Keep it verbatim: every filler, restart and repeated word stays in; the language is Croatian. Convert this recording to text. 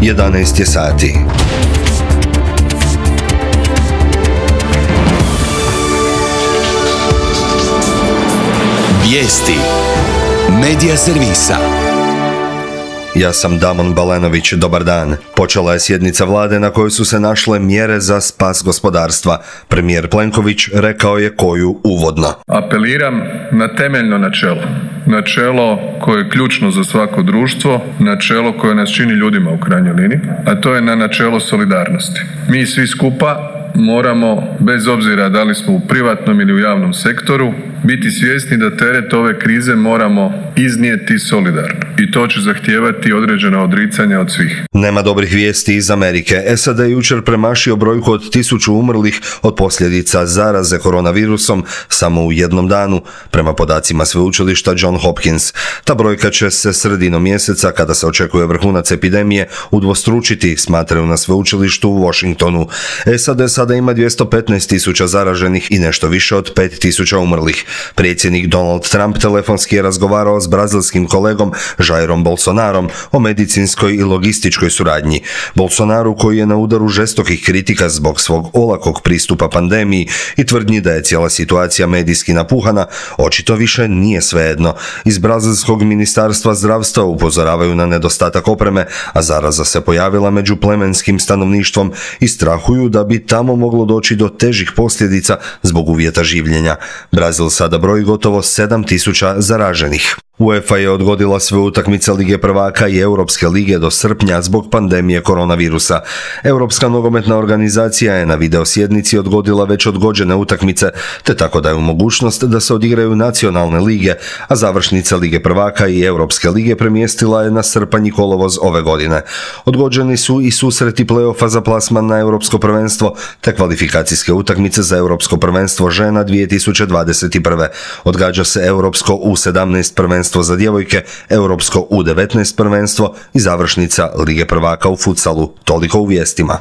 jedanaest je sati. Vijesti Medija servisa. Ja sam Damon Balenović, dobar dan. Počela je sjednica vlade na kojoj su se našle mjere za spas gospodarstva. Premijer Plenković rekao je koju uvodno. Apeliram na temeljno načelo. Načelo koje je ključno za svako društvo, načelo koje nas čini ljudima u krajnjoj liniji, a to je na načelo solidarnosti. Mi svi skupa moramo, bez obzira da li smo u privatnom ili u javnom sektoru, biti svjesni da teret ove krize moramo iznijeti solidarno. I to će zahtijevati određena odricanja od svih. Nema dobrih vijesti iz Amerike. S A D je jučer premašio brojku od tisuću umrlih od posljedica zaraze koronavirusom samo u jednom danu, prema podacima sveučilišta John Hopkins. Ta brojka će se sredinom mjeseca, kada se očekuje vrhunac epidemije, udvostručiti, smatraju na sveučilištu u Washingtonu. S A D sada ima dvjesto petnaest tisuća zaraženih i nešto više od pet tisuća umrlih. Predsjednik Donald Trump telefonski je razgovarao s brazilskim kolegom Jairom Bolsonarom o medicinskoj i logističkoj suradnji. Bolsonaru, koji je na udaru žestokih kritika zbog svog olakog pristupa pandemiji i tvrdnji da je cijela situacija medijski napuhana, očito više nije svejedno. Iz brazilskog ministarstva zdravstva upozoravaju na nedostatak opreme, a zaraza se pojavila među plemenskim stanovništvom i strahuju da bi tamo moglo doći do težih posljedica zbog uvjeta življenja. Brazil sada broji gotovo sedam tisuća zaraženih. UEFA je odgodila sve utakmice Lige prvaka i Europske lige do srpnja zbog pandemije koronavirusa. Europska nogometna organizacija je na video sjednici odgodila već odgođene utakmice, te tako daje mogućnost da se odigraju nacionalne lige, a završnica Lige prvaka i Europske lige premjestila je na srpanj i kolovoz ove godine. Odgođeni su i susreti play-offa za plasman na Europsko prvenstvo, te kvalifikacijske utakmice za Europsko prvenstvo žena dvije tisuće dvadeset prve. Odgađa se Europsko U sedamnaest prvenstvo za djevojke, Europsko U devetnaest prvenstvo i završnica Lige prvaka u futsalu. Toliko u vijestima.